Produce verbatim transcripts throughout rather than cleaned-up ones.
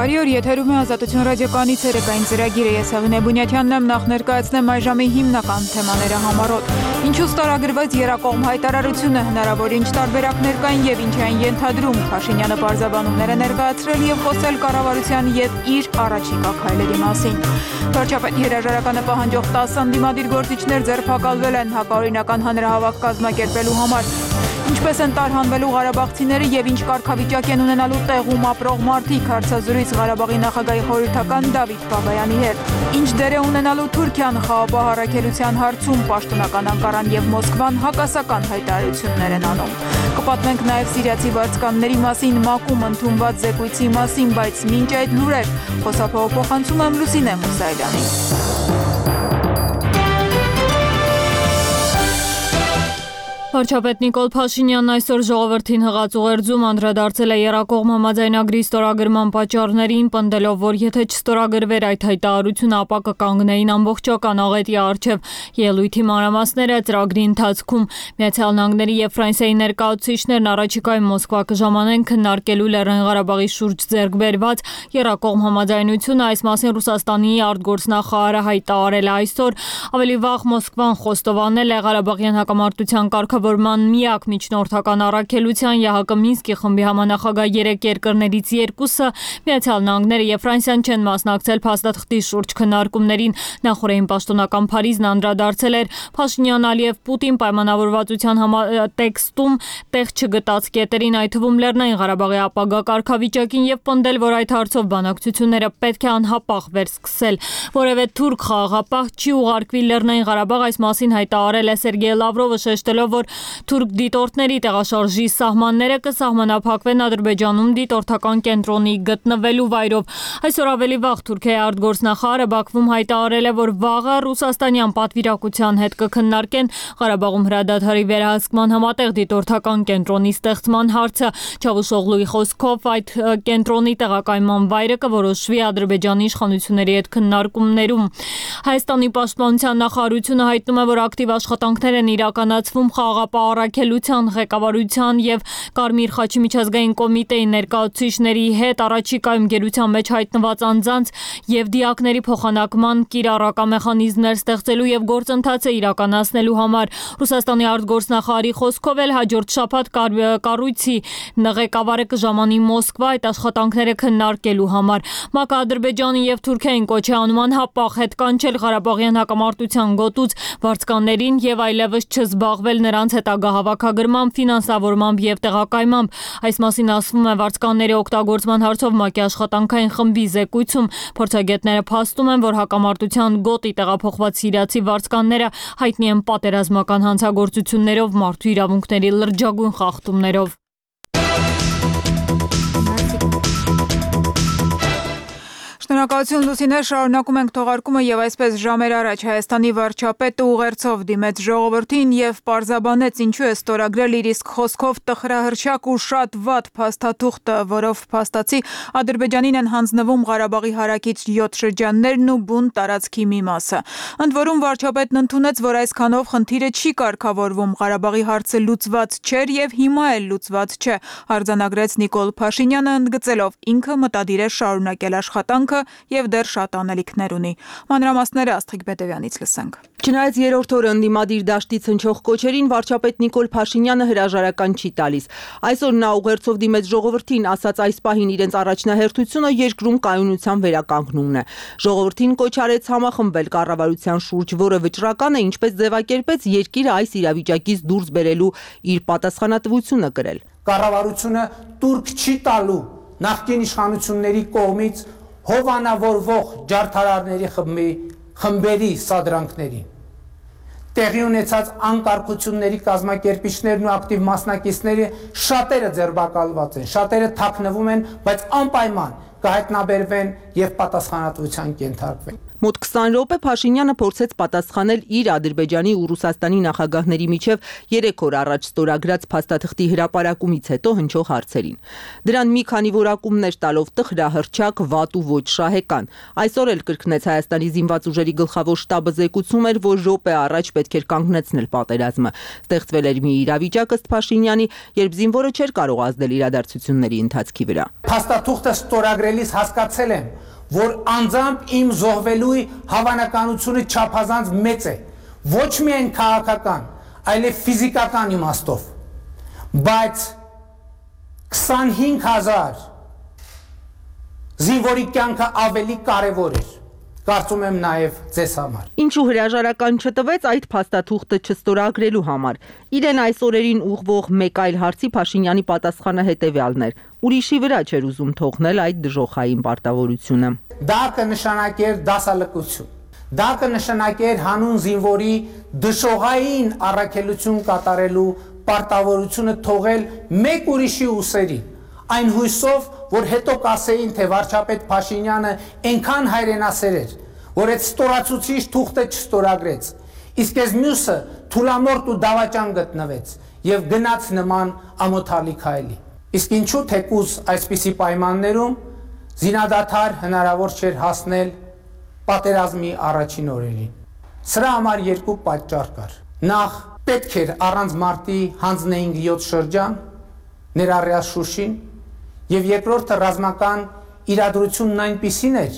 Բարի օր, եթերում է Ազատություն ռադիոկայանի ցերեկային ծրագիրը, ես Հեղինե Բունյաթյանն եմ, նախ ներկայացնեմ այժմի հիմնական թեմաները համառոտ։ Ինչու ստորագրվեց եռակողմ հայտարարությունը, հնարավոր ինչ տարբերակներ կային եւ ինչ այն ենթադրում, Փաշինյանը պարզաբանումներ է ներկայացրել եւ խոսել կառավարության եւ իր առաջիկա քայլերի մասին։ Վարչապետի հրաժարականը պահանջող տասը ընդդիմադիր գործիչներ ձերբակալվել են հակաօրինական հանրահավաք կազմակերպելու համար։ Ինչպես են տարհանվելու ղարաբաղցիները եւ ինչ կարգավիճակ են ունենալու տեղում ապրող մարդիկ, հարցազրույց Ղարաբաղի նախագահի խորհրդական Դավիթ Բաբայանի հետ։ Ինչ դեր է ունենալու Թուրքիան խաղաղ առաքելության հարցում, պաշտոնական Անկարան եւ Մոսկվան հակասական հայտարարություններ են անում։ Կպատմենք նաեւ սիրիացի վարձկանների մասին, ՄԱԿ-ում ընդունված զեկույցի մասին, բայց մինչ այդ լուրեր խոսափողը փոխանցում եմ Լուսինե Մուսայելյանին։ Վարչապետ Նիկոլ Փաշինյանն այսօր ժողովրդին հղած ուղերձում անդրադարձել է եռակողմ համաձայնագրի ստորագրման պատճառներին, պնդելով, որ եթե չստորագրվեր այդ հայտարարությունը, ապա կկանգնեին ամբողջական աղետի առջև ելույթի մանրամասները ծրագրի ընթացքում Միացյալ Նահանգների եւ Ֆրանսիայի ներկայացուցիչներն առաջիկայում Մոսկվա կժամանեն քննարկելու Լեռնային Ղարաբաղի շուրջ ձեռք բերված եռակողմ համաձայնությունը, այս մասին Ռուսաստանի արտգործնախարարը հայտարարել է այսօր, ավելի վաղ Մոսկվան խոստովանել է Ղարաբաղյան հակամարտության կարգ Որման միակ միջնորդական առաքելության ԵՀԿ Մինսկի խմբի համանախագահ երեք երկրներից երկուսը Միացյալ Նահանգները եւ Ֆրանսիան չեն մասնակցել փաստաթղթի շուրջ քննարկումներին, նախորդին պաշտոնական Փարիզն անդրադարձել էր Փաշինյան-Ալիև Պուտին պայմանավորվածության տեքստում տեղ չգտած կետերին, այդ թվում Լեռնային Ղարաբաղի ապագա կարգավիճակին եւ պնդել, որ այդ հարցով բանակցությունները պետք է անհապաղ վերսկսել։ Որևէ թուրք խաղաղապահ չի ուղարկվի Լեռնային Ղարաբաղ, այս մասին հայտարարել է Սերգեյ Լավրովը, շեշտելով, որ թուրք դիտորդների տեղաշարժի սահմանները կսահմանափակվեն Ադրբեջանում դիտորդական կենտրոնի գտնվելու վայրով։ Այսօր ավելի վաղ Թուրքիայի արտգործնախարարը Բաքվում հայտարարել է, որ վաղը ռուսաստանյան պատվիրակության հետ կքննարկեն Ղարաբաղում հրադադարի վերահսկման համատեղ դիտորդական կենտրոնի ստեղծման հարցը։ Չավուշօղլուի խոսքով այդ կենտրոնի տեղակայման վայրը կորոշվի Ադրբեջանի իշխանությունների հետ քննարկումներում։ Հայաստանի պաշտպանության նախարարությունը հայտնում է, որ ակտիվ աշխատանքներ են իրականացվում խաղաղապահ առաքելության ղեկավարության եւ Կարմիր խաչի միջազգային կոմիտեի ներկայացուցիչների հետ առաջիկայում գերության մեջ հայտնված անձանց եւ դիակների փոխանակման կիրառական մեխանիզմներ ստեղծելու եւ գործընթացը իրականացնելու համար։ Ռուսաստանի արտգործնախարարի խոսքով էլ հաջորդ շաբաթ կառույցի ղեկավարը կժամանի Մոսկվա այդ աշխատանքները քննարկելու համար։ ՄԱԿ-ը Ադրբեջանի եւ Թուրքիային կոչ է անում անհապաղ հետ կանչել Ղարաբաղյան հակամարտության գոտուց վարձկաններին եւ այլևս չզբաղվել նրանց հետագա հավաքագրմամբ, ֆինանսավորմամբ եւ տեղակայմամբ։ Այս մասին ասվում է վարձկանների օգտագործման հարցով ՄԱԿ-ի աշխատանքային խմբի զեկույցում։ Փորձագետները փաստում են, որ հակամարտության գոտի տեղափոխված սիրիացի վարձկանները հայտնի են պատերազմական հանցագործություններով, մարդու իրավունքների լրջագույն խախտումներով։ Շնորհակալություն Լուսինե, շարունակում ենք թողարկումը եւ այսպես ժամեր առաջ Հայաստանի վարչապետը ուղերձով դիմեց ժողովրդին եւ պարզաբանեց ինչու է ստորագրել իր իսկ խոսքով տխրահրճակ ու շատ վատ փաստաթուղթը, որով փաստացի Ադրբեջանին են հանձնվում Ղարաբաղի հարակից յոթ շրջաններն ու բուն տարածքի մի մասը։ Ընդ որում վարչապետն ընդունեց, որ այսքանով խնդիրը չի կարգավորվում, Ղարաբաղի հարցը լուծված չէր եւ հիմա էլ լուծված չէ, արձանագրեց Նիկոլ Փաշինյանը, ընդգծելով ինքը մտադիր է շարունակել աշխատանքը եւ դեռ շատ անելիքներ ունի։ Մանրամասները Աստղիկ Բետևյանից լսենք։ Չնայած երրորդ օրը ընդդիմադիր դաշտից հնչող կոչերին վարչապետ Նիկոլ Փաշինյանը հրաժարական չի տալիս։ Այսօր նա ուղերձով դիմեց ժողովրդին, ասաց այս պահին իրենց առաջնահերթությունը երկրում կայունության վերականգնումն է։ Ժողովրդին կոչ արեց համախմբել կառավարության շուրջ, որը վճռական է, ինչպես ձևակերպեց երկիրը այս իրավիճակից դուրս բերելու իր պատասխանատվությունը կրել։ Կառավարությունը տուրք չի տալու նախկին իշխանությունների կողմից հովանավորվող ջարդարարների խմբի խմբերի սադրանքներին։ Տեղի ունեցած անկարգությունների կազմակերպիչներն ու ակտիվ մասնակիցները շատերը ձերբակալված են, շատերը թաքնվում են, բայց անպայման կհայտնաբերվեն եւ պատասխանատվության կենթարկվեն։ Մոտ քսան րոպե Փաշինյանը փորձեց պատասխանել իր Ադրբեջանի ու Ռուսաստանի նախագահների միջև երեք օր առաջ ստորագրած փաստաթղթի հրապարակումից հետո հնչող հարցերին։ Դրան մի քանի որակումներ տալով տխրահռչակ, վատ ու ոչ շահեկան։ Այսօր էլ կրկնեց Հայաստանի զինված ուժերի գլխավոր շտաբը զեկուցում էր, որ րոպե առաջ պետք էր կանգնեցնել պատերազմը։ Ստեղծվել էր մի իրավիճակ ըստ Փաշինյանի, երբ զինվորը չէր կարող ազդել իրադարձությունների ընթացքի վրա։ Փաստաթուղթը ստորագրելիս հասկացել եմ, որ անձամբ իմ զոհվելու հավանականությունը չափազանց մեծ է, ոչ միայն քաղաքական, այլև ֆիզիկական իմաստով, բայց քսանհինգ հազար զինվորի կյանքը ավելի կարևոր էր, կարծում եմ նաև ձեզ համար։ Ինչու հրաժարական չտվեց այդ փաստաթուղթը չստորագրելու համար։ Իրեն այս օրերին ուղղվող մեկ այլ հարցի Փաշինյանի պատասխանը հետևյալն էր. ուրիշի վրա չէր ուզում թողնել այդ դժոխային պարտավորությունը։ Դա կնշանակեր դասալքություն։ Դա կնշանակեր հանուն զինվորի դժոխային առաքելություն կատարելու պարտավորությունը թողել մեկ ուրիշի ուսերին։ Այն հույսով, որ հետո կասեին, թե վարչապետ Փաշինյանը այնքան հայրենասեր էր, որ այդ ստորացուցիչ թուղթը չստորագրեց, իսկ այս մյուսը թուլամորթ ու դավաճան գտնվեց եւ գնաց նման ամոթալի քայլի։ Իսկ ինչու թեկուզ այսպիսի պայմաններում զինադադար հնարավոր չէր հասնել պատերազմի առաջին օրերին։ Սրա համար երկու պատճառ կար։ Նախ պետք էր առանց մարտի հանձնեինք յոթ շրջան, ներառյալ Շուշին, եւ երկրորդը ռազմական իրադրությունն այնպիսին էր,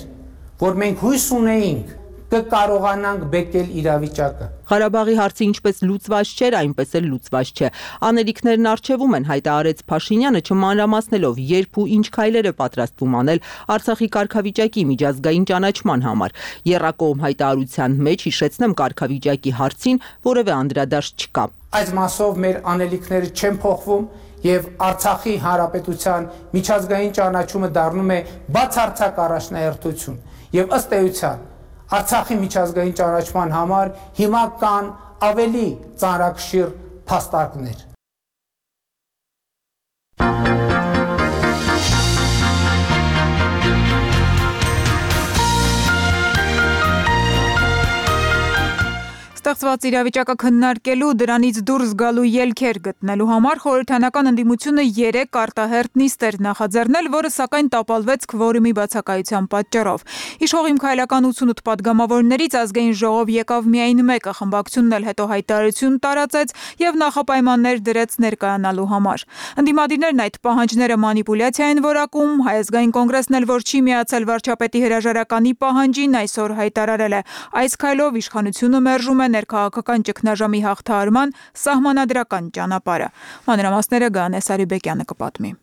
որ մենք հույս ունեինք կկարողանանք բեկել իրավիճակը։ Ղարաբաղի հարցը ինչպես լուծված չէր, այնպես էլ լուծված չէ։ Անելիքներն առջևում են, հայտարարեց Փաշինյանը, չմանրամասնելով, երբ ու ինչ քայլեր է պատրաստվում անել Արցախի կարգավիճակի միջազգային ճանաչման համար։ Եռակողմ հայտարարության մեջ հիշեցնեմ կարգավիճակի հարցին որևէ անդրադարձ չկա։ Այս մասով մեր անելիքները չեն փոխվում եւ Արցախի հանրապետության միջազգային ճանաչումը դառնում է բացարձակ առաջնահերթություն եւ ըստ էության Արցախի միջազգային ճանաչման համար հիմա կան ավելի ծանրակշիռ փաստարկներ։ Ստեղծված իրավիճակը քննարկելու, դրանից դուրս գալու ելքեր գտնելու համար խորհրդանական ընդդիմությունը երեք արտահերթ նիստ էր նախաձեռնել, որը սակայն տապալվեց քվորումի բացակայության պատճառով։ Իշխող Իմ քայլական ութսունութ պատգամավորներից ազգային ժողով եկավ միայն մեկը, խմբակցությունն էլ հետո հայտարարություն տարածեց եւ նախապայմաններ դրեց ներկայանալու համար։ Ընդդիմադիրներն այդ պահանջները մանիպուլյացիա են որակում, Հայ ազգային կոնգրեսն էլ, որ չի միացել վարչապետի հրաժարականի պահանջին, այսօր հայտարարել է, այս քայլով իշխանությունը մերժում է ներքաղաքական ճգնաժամի հաղթահարման սահմանադրական ճանապարհը։ Մանրամասները Գայանե Սարիբեկյանը կպատմի։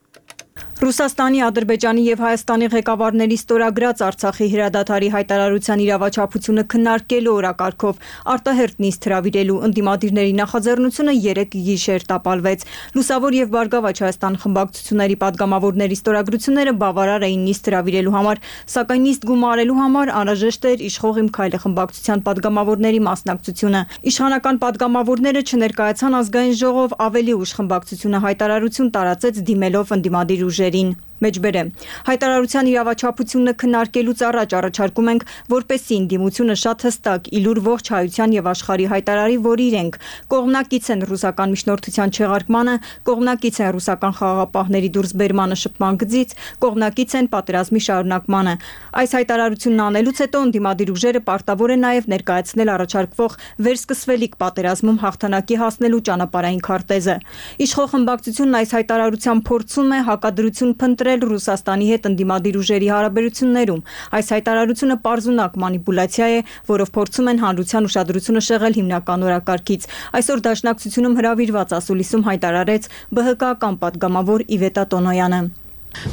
Ռուսաստանի, Ադրբեջանի եւ Հայաստանի ղեկավարների ստորագրած Արցախի հրադադարի հայտարարության իրավաչափությունը քննարկելու օրակարգով արտահերթ նիստ հրավիրելու ընդդիմադիրների նախաձեռնությունը երեք գիշեր տապալվեց։ Լուսավոր եւ Բարգավաճ Հայաստան խմբակցությունների падգամավորների ստորագրությունները բավարար էին նիստ հրավիրելու համար, սակայն նիստ գումարելու համար անհրաժեշտ էր իշխող Իմ քայլը խմբակցության падգամավորների մասնակցությունը։ Իշխանական падգամավորները չներկայացան ազգային ժողով, ավելի ուշ խմբակցությունը հայտարարություն տարածեց դիմելով ընդդիմադիր ուժերին։ Մեջբերեմ հայտարարության իրավաչափությունը քննարկելուց առաջ առաջարկում ենք, որպեսզի ընդդիմությունը շատ հստակ իլուր ողջ հայության եւ աշխարհի հայտարարի, որ իրենք կողմնակից են ռուսական միջնորդության չեղարկմանը, կողմնակից են ռուսական խաղաղապահների դուրսբերմանը շփման գծից, կողմնակից են պատերազմի շարունակմանը։ Այս հայտարարությունն անելուց հետո ընդդիմադիր ուժերը պարտավոր են նաեւ ներկայացնել առաջարկվող վերսկսվելիք պատերազմում հաղթանակի հասնելու ճանապարհային քարտեզը։ Իշխող խմբակցությունն այս հայտարարությամբ փորձում է հակադրություն փնտրել Ռուսաստանի հետ ընդդիմադիր ուժերի հարաբերություններում։ Այս հայտարարությունը պարզունակ մանիպուլյացիա է, որով փորձում են հանրության ուշադրությունը շեղել հիմնական օրակարգից։ Այսօր Դաշնակցությունում հրավիրված ասուլիսում հայտարարեց ԲՀԿ-ական падգամավոր Իվետա Տոնոյանը։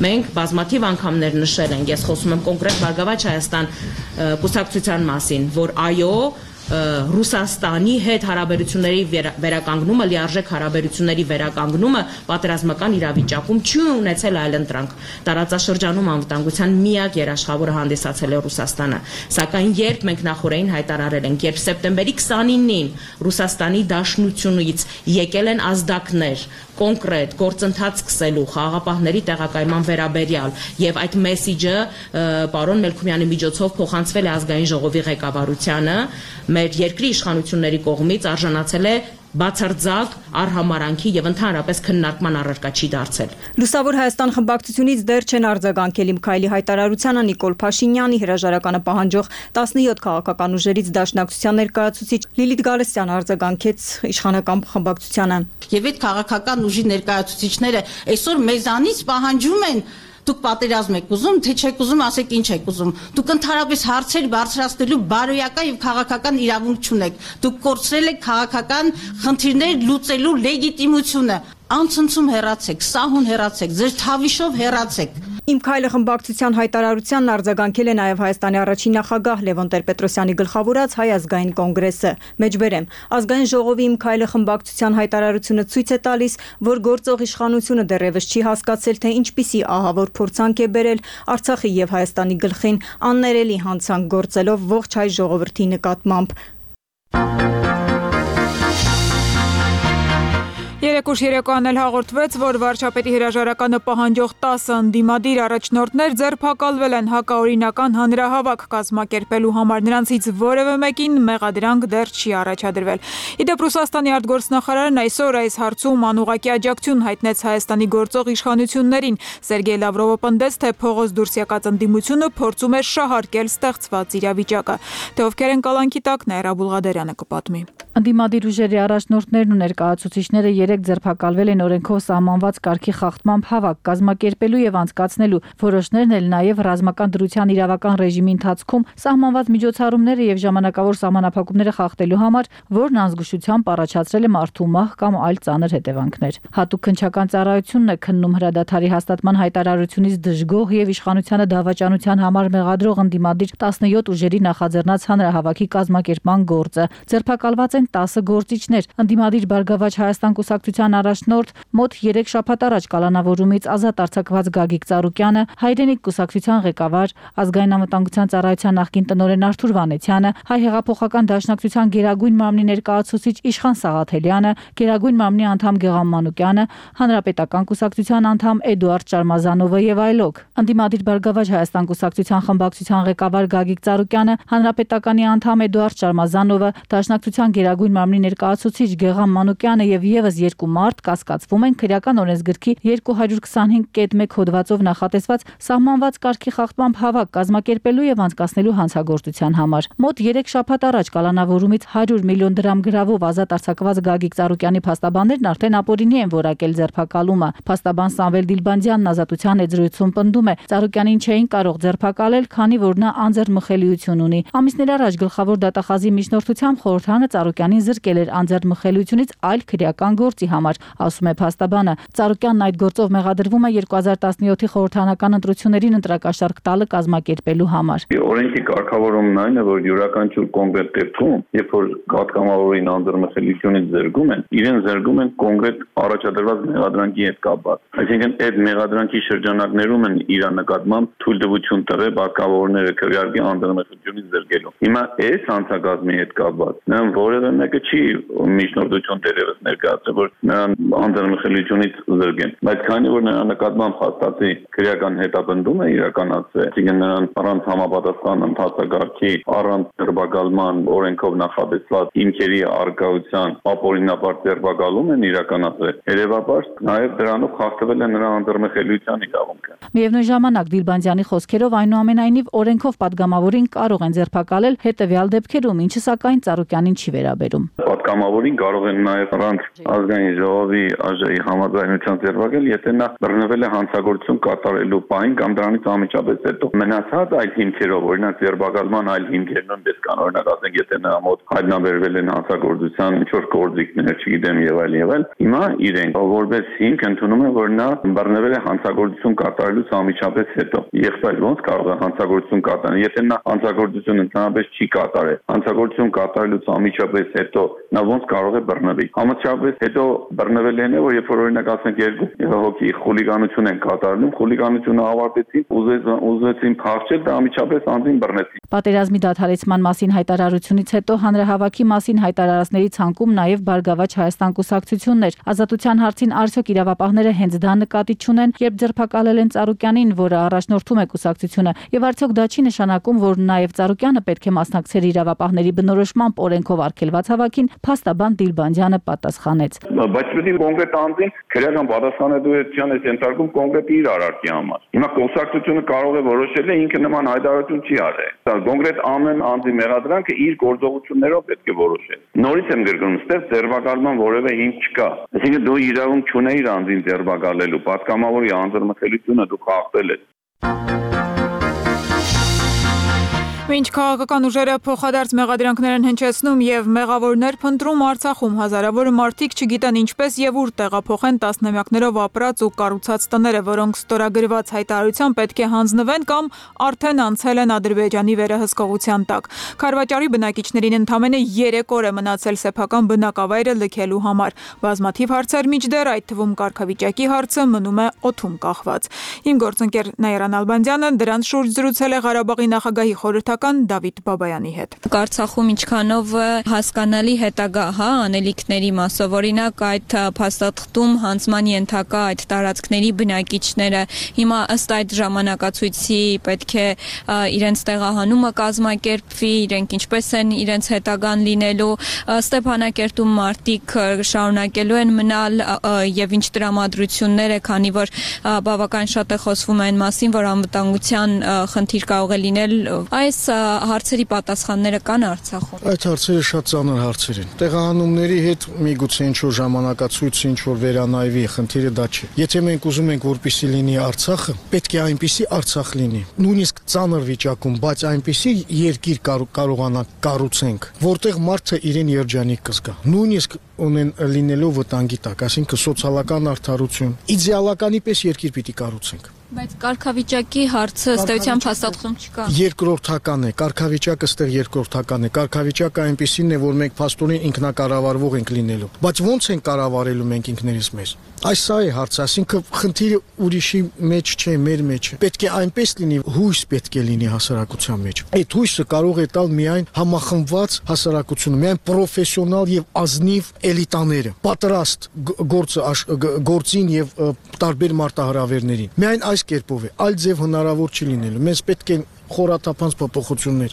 Մենք բազմաթիվ անգամներ նշել ենք, ես խոսում եմ կոնկրետ Բարգավաճ Հայաստան կուսակցության մասին, որ այո, Ռուսաստանի հետ հարաբերությունների վերականգնումը, լիարժեք հարաբերությունների վերականգնումը պատերազմական իրավիճակում չի ունեցել այլընտրանք։ Տարածաշրջանում անվտանգության միակ երաշխավորը հանդիսացել է Ռուսաստանը։ Սակայն երբ մենք նախորդին հայտարարել ենք, երբ սեպտեմբերի քսանինին Ռուսաստանի Դաշնությունից եկել են ազդակներ կոնկրետ գործընթաց սկսելու խաղաղապահների տեղակայման վերաբերյալ եւ այդ մեսիջը պարոն Մելքումյանի միջոցով փոխանցվել է ազգային ժողովի ղեկավարությանը, մեր երկրի իշխանությունների կողմից արժանացել է բացարձակ արհամարանքի եւ ընդհանրապես քննարկման առարկա չի դարձել։ Լուսավոր Հայաստան խմբակցությունից դեռ չեն արձագանքել Միքայելի հայտարարությանը Նիկոլ Փաշինյանի հրաժարականը պահանջող տասնյոթ քաղաքական ուժերից Դաշնակցության ներկայացուցիչ Լիլիթ Գալստյանը արձագանքեց իշխանական խմբակցությանը։ Եվ այդ քաղաքական ուժի ներկայացուցիչները այսօր մեզանից պահանջում են դուք պատերազմ եք ուզում, թե չեք ուզում, ասեք ինչ եք ուզում։ Դուք ընդհանրապես հարցեր բարձրացնելու բարոյական եւ քաղաքական իրավունք չունեք։ Դուք կորցրել եք քաղաքական խնդիրներ լուծելու լեգիտիմությունը։ Անցնցում հեռացեք, սահուն հեռացեք, ձեր թավիշով հեռացեք։ Իմ քայլը խմբակցության հայտարարությանն արձագանքել է նաև Հայաստանի առաջին նախագահ Լևոն Տեր-Պետրոսյանի գլխավորած Հայ ազգային կոնգրեսը։ Մեջբերեմ, ազգային ժողովի Իմ քայլը խմբակցության հայտարարությունը ցույց է տալիս, որ գործող իշխանությունը դեռևս չի հասկացել, թե ինչպիսի ահավոր փորձանք է բերել Արցախի եւ Հայաստանի գլխին աններելի հանցանք գործելով ողջ հայ ժողովրդի նկատմամբ։ Երեկուշ երեկոյան էլ հաղորդվեց, որ վարչապետի հրաժարականը պահանջող տասը ընդդիմադիր առաջնորդներ ձերբակալվել են հակաօրինական հանրահավաք կազմակերպելու համար, նրանցից որևէ մեկին մեղադրանք դեռ չի առաջադրվել։ Իդեպ Ռուսաստանի արտգործնախարարն այսօր այս հարցում անուղղակի աջակցություն հայտնեց Հայաստանի գործող իշխանություններին։ Սերգեյ Լավրովը պնդեց, թե փողոց դուրս եկած ընդդիմությունը փորձում է շահարկել ստեղծված իրավիճակը։ Թե ովքեր են կալանքի տակ, Նաիրա Բուլղադարյանը կպատմի։ Ընդդիմադիր ուժերի առաջնորդներն ու ներկայացուցիչները երեք ձերբակալվել են օրենքով սահմանված կարգի խախտմամբ հավաք կազմակերպելու եւ անցկացնելու, որոշներն էլ նաեւ ռազմական դրության իրավական ռեժիմի ընթացքում սահմանված միջոցառումները եւ ժամանակավոր սահմանափակումները խախտելու համար, որն անզգուշությամբ առաջացրել է մարդու մահ կամ այլ ծանր հետևանքներ։ Հատուկ քննչական ծառայությունն է քննում հրադադարի հաստատման հայտարարությունից դժգոհ եւ իշխանությանը դավաճանության համար մեղադրող ընդդիմադիր տասնյոթ ուժերի նախաձեռնած հանրահավաքի կազմակերպման գործը։ Ձերբակալված են տասը գործիչներ, ընդդիմադիր Բարգավաճ Հայաստան կուսակցության առաջնորդ մոտ երեք շաբաթ առաջ կալանավորումից ազատ արձակված Գագիկ Ծառուկյանը, Հայրենիք կուսակցության ղեկավար, ազգային անվտանգության ծառայության նախկին տնօրեն Արթուր Վանեցյանը, Հայ հեղափոխական դաշնակցության գերագույն մամլի ներկայացուցիչ Իշխան Սաղաթելյանը, գերագույն մամլի անդամ Գեգամ Մանուկյանը, Հանրապետական կուսակցության անդամ Էդուարդ Շարմազանովը եւ այլոք։ Ընդդիմադիր Բարգավաճ Հայաստան կուսակցության խմբակցության ղեկավար Գագիկ Ծառուկյանը, Հանրապետականի անդամ Էդուարդ Շարմազանովը, Դաշնակցության գերագույն մամլի ներկայացուցիչ Գեգամ Մանուկյանը եւ եւս երկու մարդ կասկածվում են քրեական օրենսգրքի երկու հարյուր քսանհինգ կետ մեկ հոդվածով նախատեսված սահմանված կարգի խախտմամբ հավաք կազմակերպելու եւ անցկացնելու հանցագործության համար։ Մոտ երեք շաբաթ առաջ կալանավորումից հարյուր միլիոն դրամ գրավով ազատ արձակված Գագիկ Ծառուկյանի փաստաբաններն արդեն ապօրինի են որակել ձերբակալումը։ Փաստաբան Սամվել Դիլբանդյանն Ազատության եզրույթում պնդում է, Ծառուկյանին չէին կարող ձերբակալել, քանի որ նա անձեռնմխելիություն ունի։ Ամիսներ առաջ գլխավոր դատախազի միջնորդությամբ խորհրդանը Ծառուկյանին զրկել էր անձեռնմխելիությունից այլ քրեական գործի համար, ասում է փաստաբանը։ Ծառուկյանն այդ գործով մեղադրվում է երկու հազար տասնյոթի խորհրդարանական ընտրություններին ընտրակաշառք տալը կազմակերպելու համար։ Օրենքի կարգավորումն այն է, որ յուրաքանչյուր կոնկրետ դեպքում, երբ որ պատգամավորին անձեռնմխելիությունից զրկում են, իրեն զրկում են կոնկրետ առաջադրված մեղադրանքի հետ կապված։ Այսինքն այդ մեղադրանքի շրջանակներում են իր նկատմամբ թույլտվություն տվել պատգամավորները քվեարկի անձեռնմխելիությունից զրկելու։ Հիմա այս հանցագազմի հետ կապված նրան որևէ մեկը չի միջնորդություն դերևս ներկայացրել, որ նրան անձեռնմխելիությունից զրկեն, բայց քանի որ նրա նկատմամբ հաստատի քրեական հետապնդում է իրականացվել, այսինքն նրան առանց համապատասխան ընթացակարգի, առանց ձերբակալման օրենքով նախատեսված հիմքերի արկայության ապօրինաբար ձերբակալում են իրականացվել, երևաբար նաև դրանով խախտվել է նրա անձեռնմխելիության իրավունքը։ Միևնույն ժամանակ Դիլբանդյանի խոսքերով այնուամենայնիվ օրենքով պատգամավորին կարող են ձերբակալել հետևյալ դեպքերում, ինչը սակայն Ծառուկյանին չի վերաբերում։ Պատգամավորին կարող են նաև առանց ազգային ժողովի ԱԺ-ի համաձայնության ձերբակալ, եթե նա բռնվել է հանցագործություն կատարելու պահին կամ դրանից անմիջապես հետո։ Մնացած այլ հիմքերով, օրինակ ձերբակալման այլ հիմքեր նույնպես կան, օրինակ ասենք, եթե նրա մոտ հայտնաբերվել են հանցագործության ինչ-որ գործիքներ, չգիտեմ, եւ այլ եւ այլ, հիմա իրենք որպես հիմք ընդունում են, որ նա բռնվել է հանցագործություն կատարելուց անմիջապես հետո։ Եղբայր ո՞նց կարող է հանցագործություն կատարել, եթե նա հանցագործություն ընդհանրապես չի կատարել, հանցագործություն կատարելուց անմիջապես հետո նա ո՞նց կարող է բռնվել։ Համաչափից հետո բռնվել են, որ երբ որ օրինակ ասենք երկու հոգի խուլիգանություն են կատարում, խուլիգանությունը ավարտեցին, ուզեցին փախչել, դա անմիջապես անձին բռնեցին։ Պատերազմի դադարեցման մասին հայտարարությունից հետո հանրահավաքի մասին հայտարարածների ցանկում նաև Բարգավաճ Հայաստան կուսակցությունն էր։ Ազատության հարցին արդյոք իրավապահները հենց դա նկատի չունեն, երբ ձերբակալել են Ծառուկյանին, որը առաջնորդում է կուսակցությունը, եւ արդյոք դա չի նշանակում, որ նաև Ծառուկյանը պետք է մասնակցեր իրավապահների բնորոշմամբ օրենքով արգելված հավաքին, փաստաբան Դիլբանդյանը պատասխանեց։ Բայց պետք է կոնկրետ անձին քրեական պատասխանատվության է ենթարկում կոնկրետ իր արարքի համար։ Հիմա կուսակցությունը կարող է որոշել է ինքը նման հայտարարություն չի արել։ Դա կոնկրետ ամեն անձի մեղադրանքը իր գործողություններով պետք է որոշել։ Նորից եմ գրգռում, ստեղ ձերբակալման որևէ հիմք չկա։ Այսինքն դու իրավունք չունեիր անձին ձերբակալելու, պատգամավորի անձնմխելիությունը դու խախտել ես։ Մինչ քաղաքական ուժերը փոխադարձ մեղադրանքներ են հնչեցնում եւ մեղավորներ փնտրում Արցախում, հազարավոր մարդիկ չգիտեն ինչպես եւ ուր տեղափոխեն տասնամյակներով ապրած ու կառուցած տները, որոնք ստորագրված հայտարարության պետք է հանձնվեն կամ արդեն անցել են Ադրբեջանի վերահսկողության տակ։ Քարվաճարի բնակիչներին ընդամենը երեք օր է մնացել սեփական բնակավայրը լքելու համար։ Բազմաթիվ հարցեր միջդեռ, այդ թվում կարգավիճակի հարցը մնում է օդում կախված։ Իմ գործընկեր Նաիրա Նալբանդյանը դրանց շուրջ զրուցել է Ղարաբաղի նախագահի խորհրդական Դավիթ Բաբայանի հետ։ Արցախում ինչքանով հասկանալի հետագա, հա, անելիքների մասով, օրինակ այդ փաստաթղթում հանձնման ենթակա այդ տարածքների բնակիչները հիմա ըստ այդ ժամանակացույցի պետք է իրենց տեղահանումը կազմակերպվի, իրենք ինչպես են իրենց հետագան լինելու, Ստեփանակերտում մարդիկ շարունակելու են մնալ եւ ինչ տրամադրություններ է, քանի որ բավական շատ է խոսվում այն մասին, որ անվտանգության խնդիր կարող է լինել, այս հարցերի պատասխանները կան Արցախում։ Այդ հարցերը շատ ծանր հարցեր են։ Տեղահանումների հետ միգուցե ինչ-որ ժամանակացույց, ինչ-որ վերանայվի, խնդիրը դա չէ։ Եթե մենք ուզում ենք, որպեսզի լինի Արցախը, պետք է այնպիսի Արցախ լինի։ Նույնիսկ ծանր վիճակում, բայց այնպիսի երկիր կարողանանք կառուցենք, որտեղ մարդը իրեն երջանիկ կզգա։ Նույնիսկ ունեն լինելով վտանգի տակ, այսինքն սոցիալական արդարություն, իդեալականի պես երկիր պիտի կառուցենք։ Բայց կարգավիճակի հարցը ըստ էության փաստաթղթում չկա։ Երկրորդական է, կարգավիճակը ստեղ երկրորդական է։ Կարգավիճակը այնպեսին է, որ մենք փաստորեն ինքնակառավարվող ենք լինելու։ Բայց ո՞նց ենք կառավարելու մենք ինքներս մեզ։ Այս սա է հարցը, այսինքն խնդիրը ուրիշի մեջ չէ, մեր մեջ է։ Պետք է այնպես լինի, հույս պետք է լինի հասարակության մեջ։ Այդ հույսը կարող է տալ միայն համախմբված հասարակությունը, միայն պրոֆեսիոնալ եւ ազնիվ էլիտաները, պատրաստ գործը գործին եւ տարբեր մարտահրավերներին։ Միայն այս կերպով է, այլ ձև հնարավոր չի լինելու։ Մենք պետք է խորաթափանց փոփոխություններ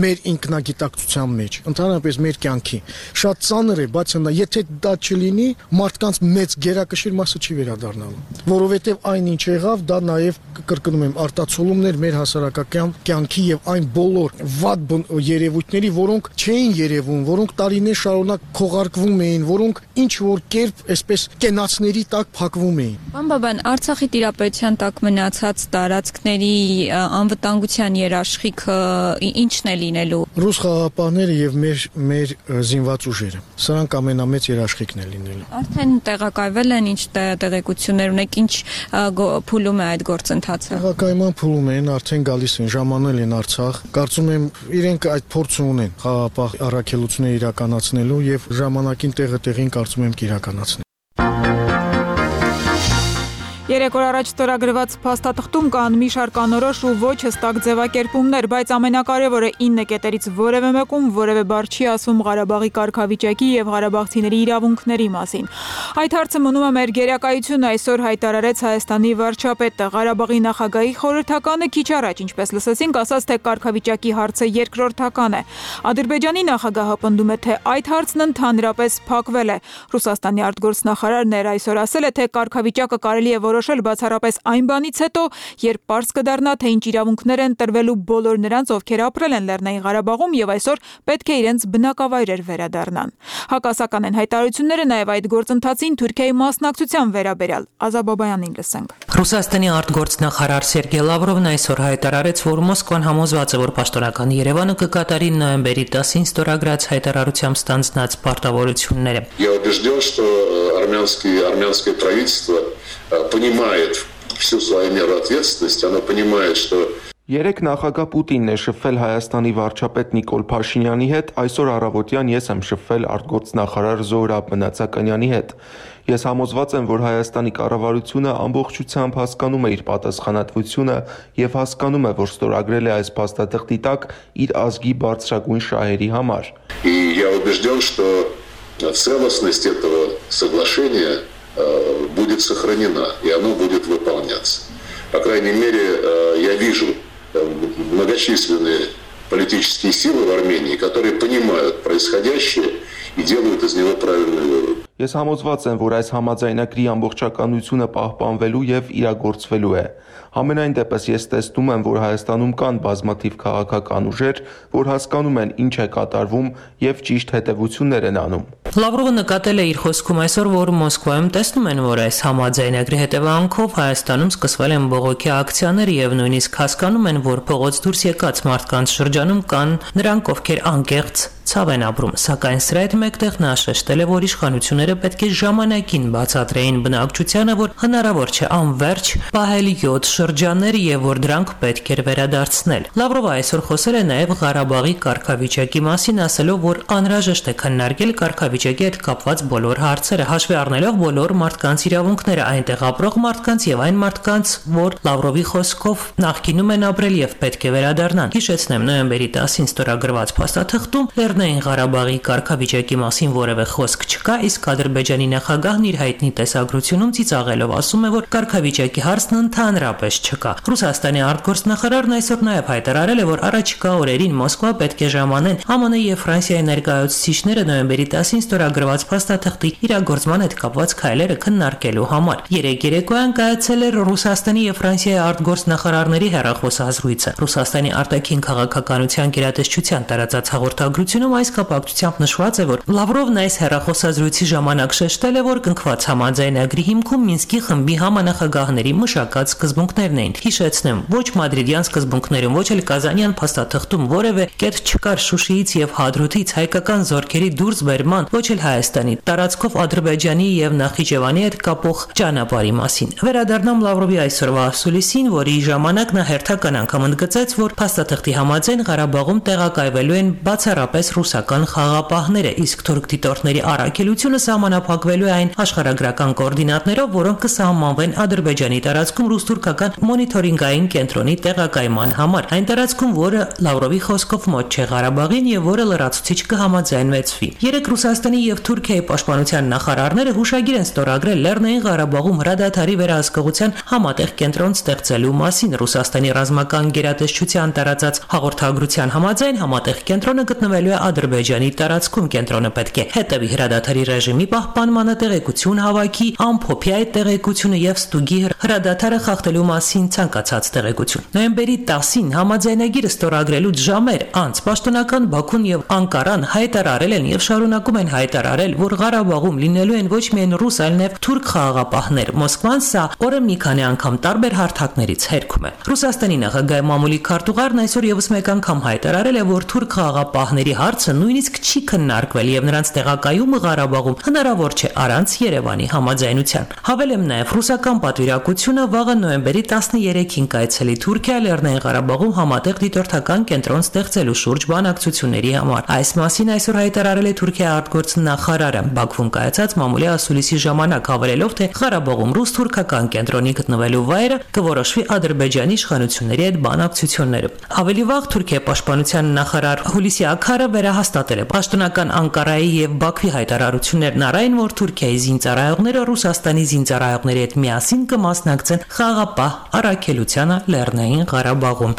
մեր ինքնագիտակցության մեջ, ընդհանրապես մեր կյանքի։ Շատ ծանր է, բայց նա եթե դա չլինի, մարդկանց մեծ գերակշիռ մասը չի վերադառնալու, որովհետև այն ինչ եղավ, դա նաև կրկնում եմ, արտացոլումներ մեր հասարակական կյանքի եւ այն բոլոր վատ երևույթների, որոնք չէին երևում, որոնք տարիներ շարունակ քողարկվում էին, որոնք ինչ որ կերպ այսպես կենացների տակ փակվում էին։ Պարոն Բաբան, Արցախի տիրապետության տակ մնացած տարածքների անվտանգության երաշխիքը ինչն է լինելու։ Ռուս խաղաղապահները եւ մեր մեր զինված ուժերը։ Սրանք ամենամեծ երաշխիքն է լինելու։ Արդեն տեղակայվել են, ինչ տեղեկություններ ունեք, ինչ փուլում է այդ գործընթացը։ Տեղակայման փուլում են, արդեն գալիս են, ժամանել են Արցախ։ Կարծում եմ իրենք այդ փորձը ունեն խաղաղապահ առաքելություններ իրականացնելու եւ ժամանակին տեղը տեղին կարծում եմ կիրականացնեն։ Երեք օր առաջ ստորագրված փաստաթղթում կան մի շարք անորոշ ու ոչ հստակ ձևակերպումներ, բայց ամենակարևորը ինը կետերից որևէ մեկում որևէ բառ չի ասում Ղարաբաղի կարգավիճակի եւ ղարաբաղցիների իրավունքների մասին։ Այդ հարցը մնում է մեր գերակայությունը, այսօր հայտարարեց Հայաստանի վարչապետը։ Ղարաբաղի նախագահի խորհրդականը քիչ առաջ, ինչպես լսեցինք, ասաց, թե կարգավիճակի հարցը երկրորդական է։ Ադրբեջանի նախագահը պնդում է, թե այդ հարցն ընդհանրապես փակվել է։ Ռուսաստանի արտգործնախարարն էր այսօր ասել է, թե կարգավիճակը կարելի է որոշել բացառապես այն բանից հետո, երբ պարզ կդառնա, թե ինչ իրավունքներ են տրվելու բոլոր նրանց, ովքեր ապրել են Լեռնային Ղարաբաղում եւ այսօր պետք է իրենց բնակավայրեր վերադառնան։ Հակասական են հայտարարությունները նաեւ այդ գործընթացին Թուրքիայի մասնակցության վերաբերյալ։ Ազաբաբայանին լսենք։ Ռուսաստանի արտգործնախարար Սերգեյ Լավրովն այսօր հայտարարեց, որ Մոսկվան համոզված է, որ պաշտոնական Երևանը կկատարի նոյեմբերի տասին ստորագրած հայտարարությամբ ստանձնած պարտավորությունները։ Я убежден, что армянский армянское правительство понимает всю свою меру ответственности, оно понимает, что Երեկ նախագահ Պուտինն է շփվել Հայաստանի վարչապետ Նիկոլ Փաշինյանի հետ, այսօր առավոտյան ես եմ շփվել արտգործնախարար Զոհրաբ Մնացականյանի հետ։ Ես համոզված եմ, որ Հայաստանի կառավարությունը ամբողջությամբ հասկանում է իր պատասխանատվությունը եւ հասկանում է, որ ստորագրել է այս փաստաթղթի տակ իր ազգի բարձրագույն շահերի համար։ И я убежден, что целостность этого соглашения будет сохранена, и оно будет выполняться. По крайней мере, я вижу многочисленные политические силы в Армении, которые понимают происходящее и делают из него правильный вывод. Ես համոզված եմ, որ այս համաձայնագրի ամբողջականությունը պահպանվելու եւ իրագործվելու է։ Համենայն դեպս ես տեսնում եմ, որ Հայաստանում կան բազմաթիվ քաղաքական ուժեր, որ հասկանում են ինչ է կատարվում եւ ճիշտ հետեւություններ են անում։ Լավրովը նկատել է իր խոսքում այսօր, որ Մոսկվայում տեսնում են, որ այս համաձայնագրի հետևանքով Հայաստանում սկսվել են բողոքի ակցիաներ եւ նույնիսկ հասկանում են, որ փողոց դուրս եկած մարդկանց շրջանում կան նրանք, ովքեր անկեղծ ցավ են ապրում, սակայն սրա հետ մեկտեղ նա շեշտել է, որ իշխանությունները պետք է ժամանակին բացատրեին բնակչությանը, որ հնարավոր չէ անverջ պահել յոթ շրջաններ եւ որ դրանք պետք էր վերադարձնել։ Լավրովը այսօր խոսել է նաեւ Ղարաբաղի կարգավիճակի մասին, ասելով, որ անհրաժեշտ է քննարկել կարգավիճակի հետ կապված բոլոր հարցերը, հաշվի առնելով բոլոր մարդկանց իրավունքները, այնտեղ ապրող մարդկանց եւ այն մարդկանց, որ Լավրովի խոսքով նախկինում են ապրել եւ պետք է վերադառնան։ Հիշեցնեմ, նոյեմբերի տասին ստորագրված փաստաթղթում Լեռնային Ղարաբաղի կարգավիճակի մասին որևէ խոսք չկա, իսկ Ադրբեջանի նախագահն իր հայտնի տեսագրությունում ծիծաղելով ասում է, որ կարգավիճակի հարցն ընդհանրապես չկա։ Ռուսաստանի արտգործնախարարն այսօր նաև հայտարարել է, որ առաջիկա օրերին Մոսկվա պետք է ժամանեն ԱՄՆ եւ Ֆրանսիայի ներկայացուցիչները նոյեմբերի տասին ստորագրված փաստաթղթի իրագործման հետ կապված քայլերը քննարկելու համար։ Երեկ երեկոյան կայացել էր Ռուսաստանի եւ Ֆրանսիայի արտգործնախարարների հեռախոսազրույցը։ Ռուսաստանի արտաքին քաղաքականության գերատեսչության տարածած հաղորդագրությունում այս կապակցությամբ նշված է, որ Լավրովն այս հեռախոսազրույցի ժամանակ շեշտել է, որ կնքված համաձայնագրի հիմքում Մինսկի խմբի համանախագահների մշակած սկզբունքներն էին։ Հիշեցնեմ, ոչ մադրիդյան սկզբունքներում, ոչ էլ կազանյան փաստաթղթում որևէ կետ չկար Շուշիից եւ Հադրութից հայկական զորքերի դուրսբերման, ոչ էլ Հայաստանի տարածքով Ադրբեջանի եւ Նախիջևանի հետ կապող ճանապարհի մասին։ Վերադառնամ Լավրովի այսօրվա ասուլիսին, որի ժամանակ նա հերթական անգամ ընդգծեց, որ փաստաթղթի համաձայն Ղարաբաղում տեղակայվելու են բացառապես ռուսական խաղապահները, իսկ թուրք դիտորդների առաքելությունը սահմանափակվելու է այն աշխարհագրական կոորդինատներով, որոնք կսահմանվեն Ադրբեջանի տարածքում ռուս-թուրքական մոնիթորինգային կենտրոնի տեղակայման համար։ Այն տարածքում, որը Լավրովի խոսքով մոտ չէ Ղարաբաղին եւ որը լրացուցիչ կհամաձայնվեցվի։ Երեք Ռուսաստանի եւ Թուրքիայի պաշտպանության նախարարները հուշագիր են ստորագրել Լեռնային Ղարաբաղում հրադադարի վերահսկողության համատեղ կենտրոն ստեղծելու մասին։ Ռուսաստանի ռազմական գերատեսչության տարածած հաղորդագրության համաձայն համատեղ կենտրոնը գտնվելու է Ադրբեջանի տարածքում։ Կենտրոնը պետք է հետևի հրադադարի ռեժիմի պահպանմանը, տեղեկություն հավաքի, ամփոփի այդ տեղեկությունը եւ ստուգի հրադադարը խախտելու մասին ցանկացած տեղեկություն։ Նոյեմբերի տասին համաձայնագիրը ստորագրելուց ժամեր անց պաշտոնական Բաքուն եւ Անկարան հայտարարել են եւ շարունակում են հայտարարել, որ Ղարաբաղում լինելու են ոչ միայն ռուս, այլ նաեւ թուրք խաղաղապահներ։ Մոսկվան սա օրը մի քանի անգամ տարբեր հարթակներից հերքում է։ Ռուսաստանի նախագահի մամուլի քարտուղարն այսօր եւս մեկ անգամ հայտարարել է, որ թուրք խաղաղապահների հարցը նույնիսկ չի քննարկվել եւ նրանց տեղակայումը Ղարաբաղում հնարավոր չէ առանց Երևանի համաձայնության։ Հավելեմ նաեւ ռուսական պատվիրակությունը վաղը նոյեմբերի տասներեքին կայցելի Թուրքիա Լեռնային Ղարաբաղում համատեղ դիտորդական կենտրոն ստեղծելու շուրջ բանակցությունների համար։ Այս մասին այսօր հայտարարել է Թուրքիայի արտգործնախարարը Բաքվում կայացած մամուլի ասուլիսի ժամանակ, հավելելով, թե Ղարաբաղում ռուս-թուրքական կենտրոնի գտնվելու վայրը կորոշվի Ադրբեջանի իշխանությունների հետ բանակցություններով։ Ավելի վաղ Թուրքիայի պաշտպանության նախարար Հուլիսի Աքարը վերահաստատել է պաշտոնական Անկարայի եւ Բաքվի հայտարարություններն առայն, որ Թուրքիայի զինծառայողները Ռուսաստանի զինծառայողների հետ միասին կմասնակցեն խաղաղապահ առաքելությանը Լեռնային Ղարաբաղում։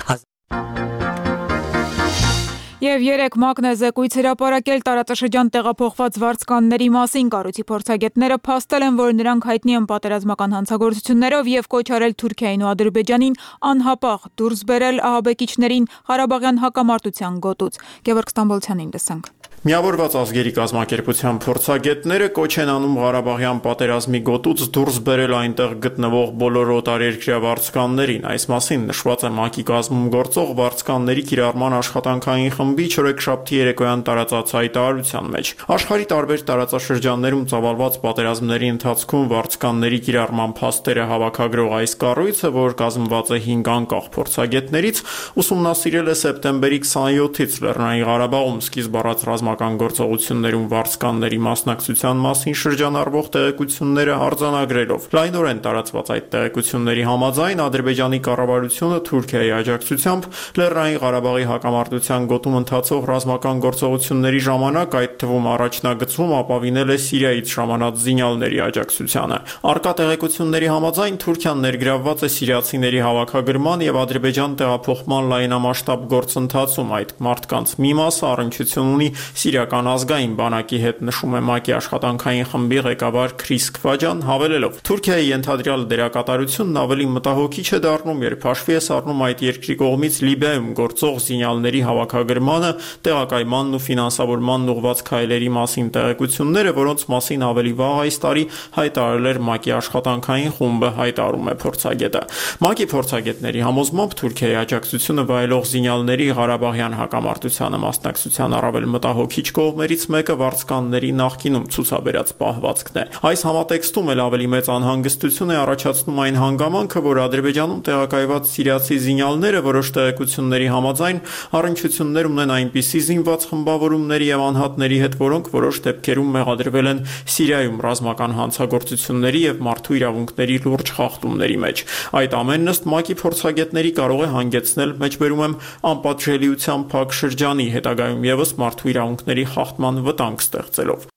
Եվ երեք ՄԱԿ-ն է զեկույց հրապարակել տարածաշրջան տեղափոխված վարձկանների մասին։ Կառույցի փորձագետները փաստել են, որ նրանք հայտնի են պատերազմական հանցագործություններով եւ կոչ արել Թուրքիային ու Ադրբեջանին անհապաղ դուրս բերել ահաբեկիչներին Ղարաբաղյան հակամարտության գոտուց։ Գևորգ Ստամբոլցյանին լսենք։ Միավորված ազգերի կազմակերպության փորձագետները կոչ են անում Ղարաբաղյան պատերազմի գոտուց դուրս բերել այնտեղ գտնվող բոլոր օտարերկրյա վարձկաններին։ Այս մասին նշված է ՄԱԿ-ի կազմում գործող վարձկանների կիրառման աշխատանքային խմբի չորեքշաբթի երեկոյան տարածած հայտարարության մեջ։ Աշխարհի տարբեր տարածաշրջաններում ծավալված պատերազմների ընթացքում վարձկանների կիրառման փաստերը հավաքագրող այս կառույցը, որ կազմված է հինգ անկախ փորձագետներից, ուսումնասիրել է սեպտեմբերի քսաներկուից Լեռնային Ղարաբաղում սկիզբ առած ռազմական գործողություններում վարձկանների մասնակցության մասին շրջանառվող տեղեկությունները արձանագրելով։ Լայնորեն տարածված այդ տեղեկությունների համաձայն Ադրբեջանի կառավարությունը Թուրքիայի աջակցությամբ Լեռնային Ղարաբաղի հակամարտության գոտում ընթացող ռազմական գործողությունների ժամանակ, այդ թվում առաջնագծում, ապավինել է Սիրիայից ժամանած զինյալների աջակցությանը։ Առկա տեղեկությունների համաձայն Թուրքիան ներգրավված է սիրիացիների հավաքագրման եւ Ադրբեջան տեղափոխման լայնամասշտաբ գործընթացում։ Այդ մարդկանց մի մասը առնչություն ունի Սիրիական ազգային բանակի հետ, նշում է ՄԱԿ-ի աշխատանքային խմբի ղեկավար Քրիս Քվաջան, հավելելով. Թուրքիայի ենթադրյալ դերակատարությունն ավելի մտահոգիչ է դառնում, երբ հաշվի է առնում այդ երկրի կողմից Լիբիայում գործող զինյալների հավաքագրմանը, տեղակայմանն ու ֆինանսավորմանն ուղղված քայլերի մասին տեղեկությունները, որոնց մասին ավելի վաղ այս տարի հայտարարել էր ՄԱԿ-ի աշխատանքային խումբը, հայտարարում է փորձագետը։ ՄԱԿ-ի փորձագետների համոզմամբ Թուրքիայի աջակցությունը վայելող զինյալների Ղարաբաղյան հակամարտությանը մասնակցության առավել մտահոգիչ կողմերից մեկը վարձկանների նախկինում ցուցաբերած պահվածքն է։ Այս համատեքստում էլ ավելի մեծ անհանգստություն է առաջացնում այն հանգամանքը, որ Ադրբեջանում տեղակայված սիրիացի զինյալները որոշ տեղեկությունների համաձայն առնչություններ ունեն այնպիսի զինված խմբավորումների եւ անհատների հետ, որոնք որոշ դեպքերում մեղադրվել են Սիրիայում ռազմական հանցագործությունների եւ մարդու իրավունքների լուրջ խախտումների մեջ։ Այդ ամենն ըստ ՄԱԿ-ի փորձագետների կարող է հանգեցնել, մեջբերում եմ, անպատժելիության փակ շրջանի, հետագայում եւս մարդու իրավունքների խախտման վտանգ ստեղծելով։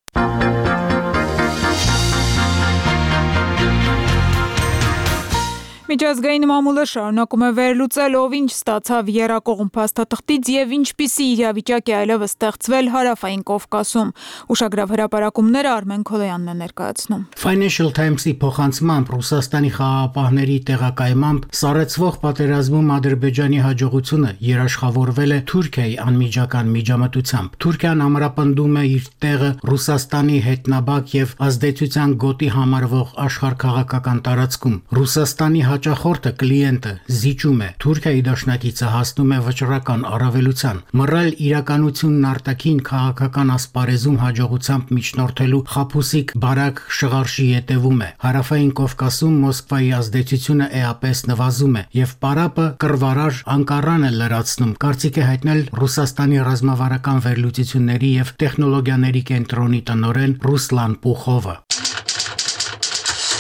Միջազգային մամուլը շարունակում է վերլուծել, ով ինչ ստացավ եռակողմ փաստաթղթից եւ ինչպիսի իրավիճակ է այլևս ստեղծվել Հարավային Կովկասում։ Ուշագրավ հրապարակումները Արմեն Քոլոյանն է ներկայացնում։ Financial Times-ի փոխանցմամբ Ռուսաստանի խաղաղապահների տեղակայմամբ սառեցվող պատերազմում Ադրբեջանի հաջողությունը երաշխավորվել է Թուրքիայի անմիջական միջամտությամբ։ Թուրքիան ամրապնդում է իր տեղը Ռուսաստանի հետնաբակ եւ ազդեցության գոտի համարվող աշխարհքաղաքական տարածքում։ Ռուսաստանի հաճախորդը կլիենտը զիջում է, Թուրքիայի դաշնակիցը հասնում է վճռական առավելության։ Մռայլ իրականությունն արտաքին քաղաքական ասպարեզում հաջողությամբ միջնորդելու խաբուսիկ բարակ շղարշի ետևում է։ Հարավային Կովկասում Մոսկվայի ազդեցությունը էապես նվազում է եւ պարապը կռվարար Անկարան է լրացնում, կարծիք է հայտնել Ռուսաստանի ռազմավարական վերլուծությունների եւ տեխնոլոգիաների կենտրոնի տնօրեն Ռուսլան Պուխովը։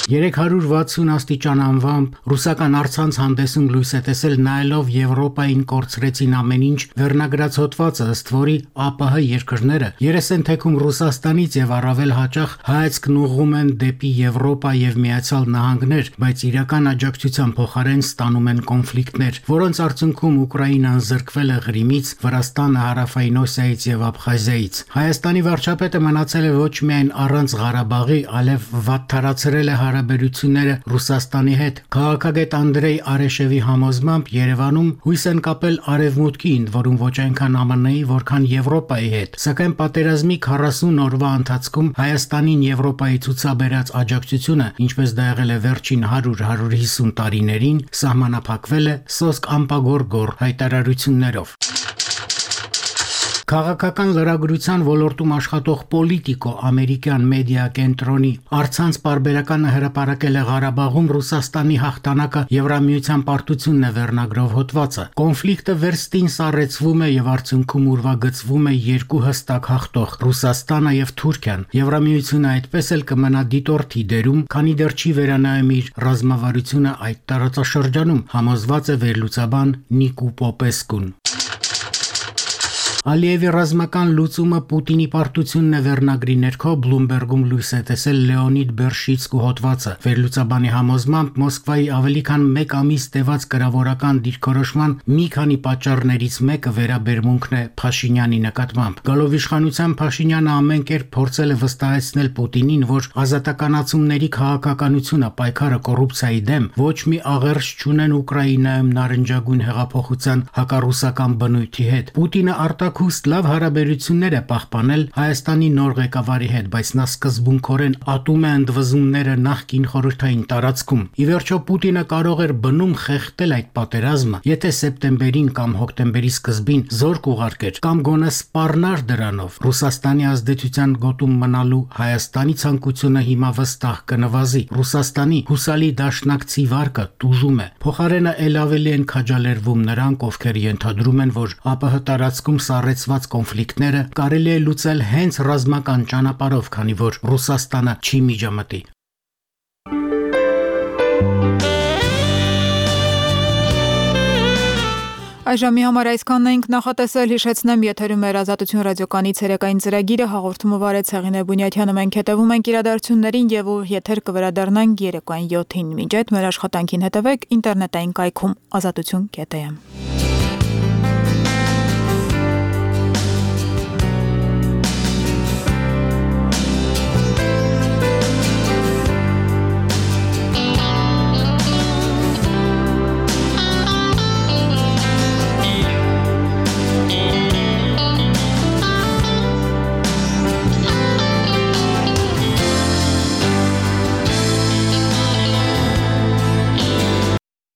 երեք հարյուր վաթսուն աստիճան անվամբ ռուսական առցանց հանդեսում լույս է տեսել նայելով Եվրոպային կորցրեցին ամեն ինչ վերնագրած հոդվածը, ըստ որի ԱՊՀ երկրները երես են թեքում Ռուսաստանից եւ առավել հաճախ հայացքն ուղղում են դեպի Եվրոպա եւ Միացյալ Նահանգներ, բայց իրական աջակցության փոխարեն ստանում են կոնֆլիկտներ, որոնց արդյունքում Ուկրաինան զրկվել է Ղրիմից, Վրաստանը Հարավային Օսիայից եւ Աբխազիայից։ Հայաստանի վարչապետը մնացել է ոչ միայն առանց Ղարաբաղի, այլև վատթարացրել է հարաբերությունները Ռուսաստանի հետ։ Քաղաքագետ Անդրեյ Արեշևի համոզմամբ Երևանում հույս են կապել Արևմուտքի, ընդ որում ոչ այնքան ԱՄՆ-ի, որքան Եվրոպայի հետ։ Սակայն պատերազմի քառասուն օրվա ընթացքում Հայաստանին Եվրոպայի ցուցաբերած աջակցությունը, ինչպես դա եղել է վերջին հարյուր հարյուր հիսուն տարիներին, սահմանափակվել է սոսկ ամպագոր-գոր հայտարարություններով։ Քաղաքական լրագրության ոլորտում աշխատող Պոլիտիկո ամերիկյան մեդիա կենտրոնի առցանց պարբերականը հրապարակել է Ղարաբաղում Ռուսաստանի հաղթանակը Եվրամիության պարտությունն է վերնագրով հոդվածը։ Կոնֆլիկտը վերստին սառեցվում է եւ արդյունքում ուրվագծվում է երկու հստակ հաղթող՝ Ռուսաստանը եւ Թուրքիան։ Եվրամիությունը այդպես էլ կմնա դիտորդի դերում, քանի դեռ չի վերանայում իր ռազմավարությունը այդ տարածաշրջանում, համոզված է վերլուծաբան Նիկու Պոպեսկուն։ Ալիևի ռազմական լուծումը Պուտինի պարտությունն է վերնագրի ներքո Բլումբերգում լույս է տեսել Լեոնիդ Բերշիցկու հոդվածը։ Վերլուծաբանի համոզմամբ Մոսկվայի ավելի քան մեկ ամիս տևած կրավորական դիրքորոշման մի քանի պատճառներից մեկը վերաբերմունքն է Փաշինյանի նկատմամբ։ Գալով իշխանության Փաշինյանը ամեն կերպ փորձել է վստահեցնել Պուտինին, որ ազատականացումների քաղաքականությունը պայքարը կոռուպցիայի դեմ ոչ մի աղերս չունեն Ուկրաինայում նարնջագույն հեղափոխության հակառուսական բնույթի հետ։ Պուտինը արտա փառակուստ լավ հարաբերություններ է պահպանել Հայաստանի նոր ղեկավարի հետ, բայց նա սկզբունքորեն ատում է ընդվզումները նախկին խորհրդային տարածքում։ Ի վերջո Պուտինը կարող էր բնում խեղդել այդ պատերազմը, եթե սեպտեմբերին կամ հոկտեմբերի սկզբին զորք ուղարկեր կամ գոնե սպառնար դրանով։ Ռուսաստանի ազդեցության գոտում մնալու Հայաստանի ցանկությունը հիմա վստահ կնվազի։ Ռուսաստանի հուսալի դաշնակցի վարկը տուժում է։ Փոխարենը ել ավելի են քաջալերվում նրանք, ովքեր ենթադրում են, որ ԱՊՀ տարածքում սառեցված կոնֆլիկտները կարելի է լուծել հենց ռազմական ճանապարհով, քանի որ Ռուսաստանը չի միջամտի։ Այժմի համար այսքանն էինք նախատեսել, հիշեցնեմ, եթերում էր Ազատություն ռադիոկայանի ցերեկային ծրագիրը, հաղորդումը վարեց Հեղինե Բունյաթյանը, մենք հետևում ենք իրադարձություններին եւ ուղիղ եթեր կվերադառնանք երեկոյան յոթին։ Մինչ այդ մեր աշխատանքին հետևեք ինտերնետային կայքում ազատություն կետ էմ։